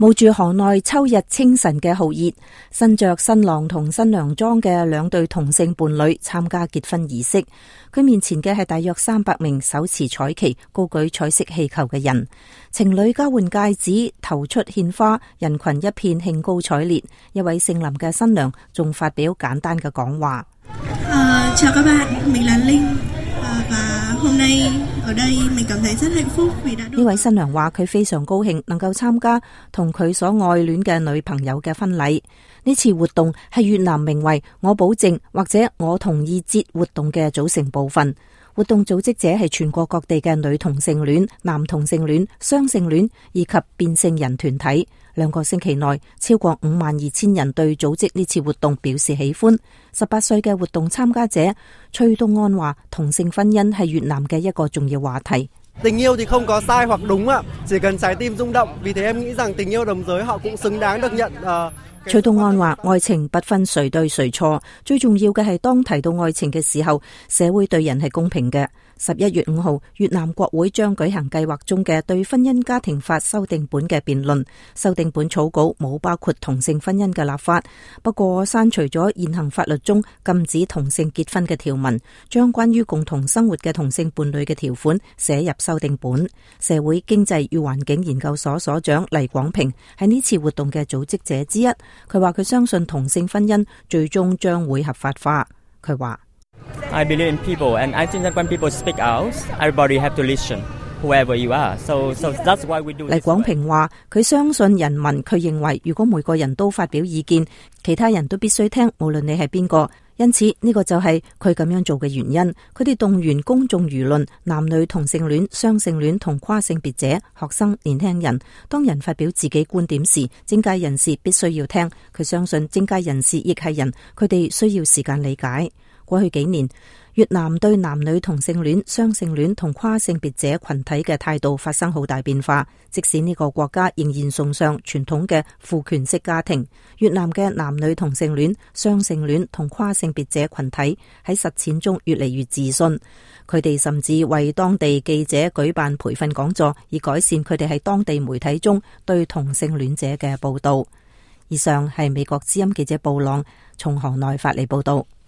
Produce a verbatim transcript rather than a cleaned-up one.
冒住河內秋日清晨嘅酷熱，身着新郎同新娘裝嘅兩對同性伴侶參加結婚儀式。佢面前嘅係大約三百名手持彩旗、高舉彩色氣球嘅人。情侶交換戒指、投出獻花，人群一片興高采烈。一位姓林嘅新娘仲發表簡單嘅講話。Uh, chào các bạn, mình là Linh. Uh, và hôm nay ở đây mình cảm thấy rất hạnh phúc vì đã được。 呢位新娘話佢非常高興能夠參加同佢所愛戀嘅女朋友嘅婚禮。呢次活動係越南名為我保證或者我同意節活動嘅組成部分。活動組織者係全國各地嘅女同性戀、男同性戀、雙性戀以及變性人團體。兩個星期內，超過五萬二千人對組織呢次活動表示喜歡。十八歲嘅活動參加者崔東安話，同性婚姻係越南嘅一個重要話題。tình yêu thì không có sai hoặc đúng ạ, chỉ cần trái tim rung động. Vì thế em nghĩ rằng tình yêu đồng giới họ cũng xứng đáng được nhận。崔東安話，愛情不分誰對誰錯，最重要嘅係當提到愛情嘅時候，社會對人係公平嘅。十一月五號，越南國會將舉行計劃中嘅對婚姻家庭法修訂本嘅辯論。修訂本草稿冇包括同性婚姻嘅立法，不過刪除咗現行法律中禁止同性結婚嘅條文，將關於共同生活嘅同性伴侶嘅條款寫入修訂本。社會經濟與環境研究所所長黎廣平係呢次活動嘅組織者之一。佢話佢相信同性婚姻最終將會合法化。佢話I believe in people, and I think that when people speak out, everybody have to listen, whoever you are. So, so that's why we do this. 黎廣平話佢相信人民，佢認為如果每個人都發表意見，其他人都必須聽，無論你係邊個。因此呢個就係佢咁樣做嘅原因。佢哋動員公眾輿論、男女同性戀、雙性戀同跨性別者、學生、年輕人。當人發表自己觀點時，政界人士必須要聽。佢相信政界人士亦係人，佢哋需要時間理解。過去幾年，越南對男女同性戀、雙性戀同跨性別者群體嘅態度發生好大變化。即使呢個國家仍然崇尚傳統嘅父權式家庭，越南嘅男女同性戀、雙性戀同跨性別者群體喺實踐中越嚟越自信。佢哋甚至為當地記者舉辦培訓講座，以改善佢哋喺當地媒體中對同性戀者嘅報道。以上係美國之音記者布朗從河內發嚟報道。